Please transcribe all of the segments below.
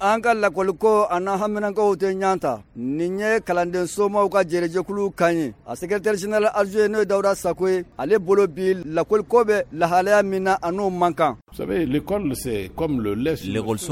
An ka lakɔliko a n'an haminankow tɛ ɲɔgɔn ta. Nin ye kalanden somaw ka jɛrɛjɛkulu kan ye. A secrétaire général adjoint, n'o ye Dawuda Sako ye, ale bolo bi, lakɔliko bɛ lahalaya min na, a n'o man kan. Lekɔliso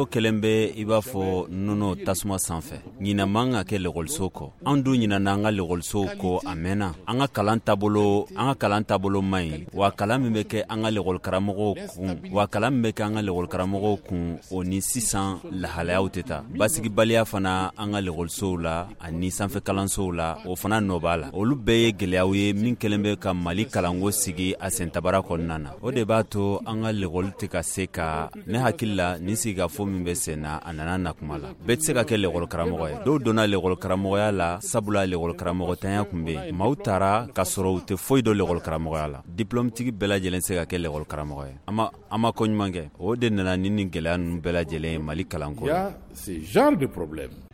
kɛlen bɛ i b'a fɔ nɔnɔ tasuma sanfɛ. Ɲinɛ man ka kɛ lekɔliso kɔ. An dun ɲinɛna an ka lekɔlisow kɔ a mɛnna. An ka kalan taabolo, an ka kalan taabolo man ɲi wa. Kalan min bɛ kɛ an ka lekɔlikaramɔgɔw kun wa, kalan min bɛ kɛ an ka lekɔlikaramɔgɔw kun, o ni sisan lahalayaw tɛ taa. Basigibaliya fana an ka lekɔlisow la ani sanfɛ kalansow la, o fana nɔ b'a la. Olu bɛɛ ye gɛlɛyaw ye min kɛlen bɛ ka Mali kalanko sigi a sentabara kɔnɔna na. O de b'a to an ka lekɔli tɛ ka se ka. Ne hakili la, nin sigikafo min bɛ sen na, a nana na kuma la. Bɛɛ tɛ se ka kɛ lekɔlikaramɔgɔ ye. Dɔw donna lekɔlikaramɔgɔya la sabula lekɔlikaramɔgɔtanya tun bɛ yen. Maaw taara ka sɔrɔ u tɛ foyi dɔn lekɔlikaramɔgɔya la. Diplɔmutigi bɛɛ lajɛlen se ka kɛ lekɔlikaramɔgɔ ye. An ma ko ɲuman kɛ. O de nana ni gɛlɛya ninnu bɛɛ lajɛlen ye Mali kalanko la.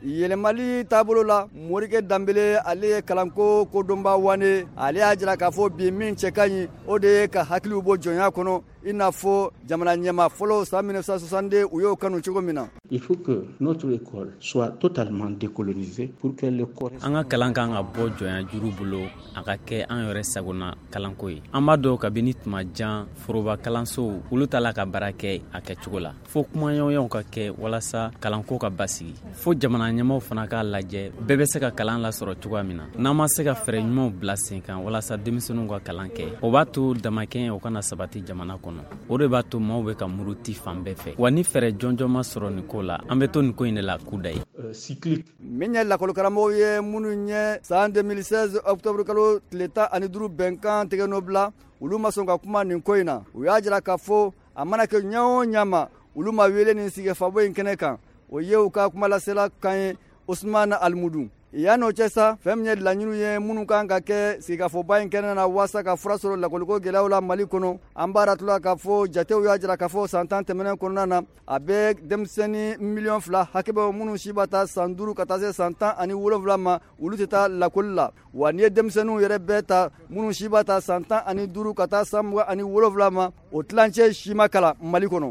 Yɛlɛmali taabolo la, Morikɛ Danbele, ale ye kalanko kodɔnba wane. Ale y'a jira k'a fɔ bi, min cɛ ka ɲi, o de ye ka hakiliw bɔ jɔnya kɔnɔ, i n'a fɔ jamana ɲɛma fɔlɔ san 1962, u y'o kanu cogo min na. Il faut que notre école soit totalement décolonisée pour que le An ka kalan kan ka bɔ jɔnya juru bolo, a ka kɛ an yɛrɛ sagona kalanko ye. An b'a dɔn, kabini tuma jan, foroba kalansow, olu t'a la ka baara kɛ a kɛcogo la. Fo kumaɲɔgɔnyaw ka kɛ walasa kalanko ka basigi. Fo jamana ɲɛmaw fana k'a lajɛ, bɛɛ bɛ se ka kalan lasɔrɔ cogoya min na. N'an ma se ka fɛɛrɛ ɲumanw bila sen kan walasa denmisɛnninw ka kalan kɛ, o b'a to damakɛɲɛ o kana sabati jamana kɔnɔ. O de b'a to maaw bɛ ka muruti fan bɛɛ fɛ. Wa ni fɛɛrɛ jɔnjɔn ma sɔrɔ nin ko la, an bɛ to nin ko in de la kuda ye. Min ye lakɔlikaramɔgɔw ye, minnu ye san 2016 octobre kalo tile 15 bɛnkan tigɛ nɔ bila, olu ma sɔn ka kuma nin ko in na. U y'a jira k'a fɔ a mana kɛ ɲɛ o ɲɛ ma, olu ma wele nin sigifabo in kɛnɛ kan. O ye u ka kumalasela kan ye, Usumana Alimudu. Yan n'o cɛ sa, fɛn min ye laɲiniw ye minnu kan ka kɛ sigikafɔba in kɛnɛ na waasa ka fura sɔrɔ lakɔliko gɛlɛyaw la Mali kɔnɔ, an b'a ratula k'a fɔ jatew y'a jira k'a fɔ san 10 tɛmɛnen kɔnɔna na, a bɛ denmisɛnnin miliyɔn 2 hakɛ bɛ minnu si b'a ta san 5 ka taa se san 17 ma, olu tɛ taa lakɔli la. Wa n'i ye denmisɛnninw yɛrɛ bɛɛ ta, minnu si b'a ta san 15 ka taa san 27 ma, o tilancɛ si ma kalan Mali kɔnɔ.